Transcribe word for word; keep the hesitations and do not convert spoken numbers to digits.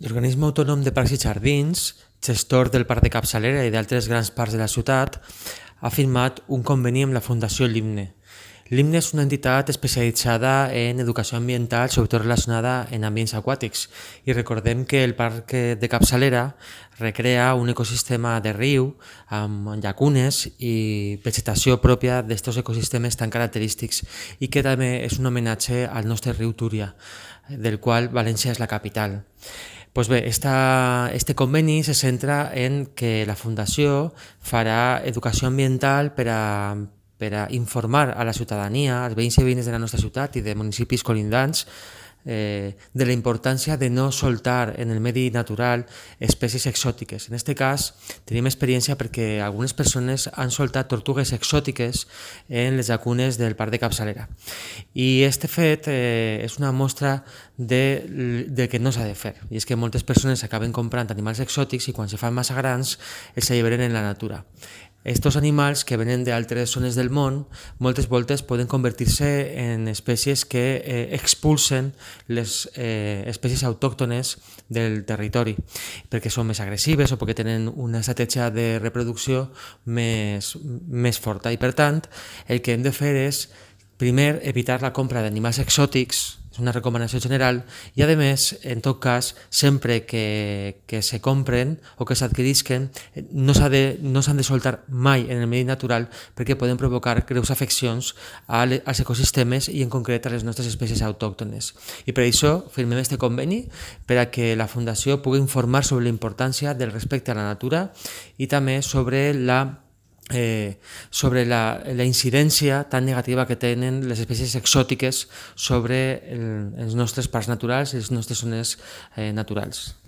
L'Organisme Autònom de Parcs i Jardins, gestor del Parc de Capçalera i d'altres grans parcs de la ciutat, ha firmat un conveni amb la Fundació Limne. Limne és una entitat especialitzada en educació ambiental, sobretot relacionada en ambients aquàtics. I recordem que el Parc de Capçalera recrea un ecosistema de riu amb llacunes i vegetació pròpia d'aquests ecosistemes tan característics i que també és un homenatge al nostre riu Túria, del qual València és la capital. Pues bé, esta, este conveni se centra en que la Fundació farà educació ambiental per a, per a informar a la ciutadania, als veïns i veïnes de la nostra ciutat i de municipis colindants, eh, de la importància de no soltar en el medi natural espècies exòtiques. En aquest cas tenim experiència perquè algunes persones han soltat tortugues exòtiques en les llacunes del Parc de Capçalera. I aquest fet eh, és una mostra de, de que no s'ha de fer. I és que moltes persones acaben comprant animals exòtics i quan se fan massa grans els alliberen en la natura. Estos animals que venen d'altres zones del món moltes voltes poden convertir-se en espècies que eh, expulsen les eh, espècies autòctones del territori perquè són més agressives o perquè tenen una estratègia de reproducció més, més forta i per tant el que hem de fer és primer evitar la compra d'animals exòtics, és una recomanació general, i a més, en tot cas, sempre que, que se compren o que s'adquirisquen, no s'han de, no s'han de soltar mai en el medi natural perquè poden provocar greus afeccions als ecosistemes i en concret a les nostres espècies autòctones. I per això firmem aquest conveni per a que la Fundació pugui informar sobre la importància del respecte a la natura i també sobre la Eh, sobre la, la incidència tan negativa que tenen les espècies exòtiques sobre el, els nostres parcs naturals i les nostres zones eh, naturals.